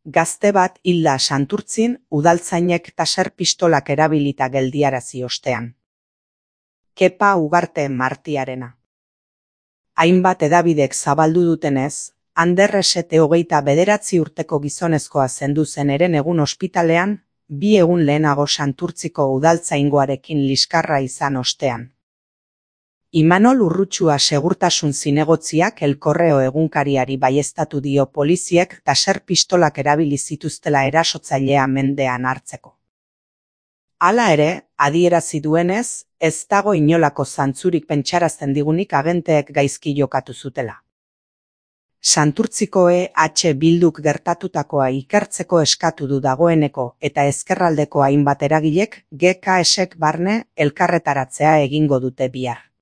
Gazte bat hilda Santurtzin udaltzainek taser pistolak erabilita geldiarazi ostean. Kepa Ugarte Martiarena. Hainbat hedabidek zabaldu dutenez, Ander Esete 29 urteko gizonezkoa zendu zen Herenegun ospitalean, 2 egun lehenago Santurtziko udaltzaingoarekin liskarra izan ostean. Imanol Urrutxua segurtasun zinegotziak El Correo egunkariari baieztatu dio poliziek taser pistolak erabili zituztela erasotzailea mendean hartzeko. Hala ere, adierazi duenez, ez dago inolako zantzurik pentsarazten digunik agenteek gaizki jokatu zutela. Santurtziko Bilduk gertatutakoa ikertzeko eskatu du dagoeneko eta ezkerraldeko hainbat eragilek GKSek barne elkarretaratzea egingo dute bihar.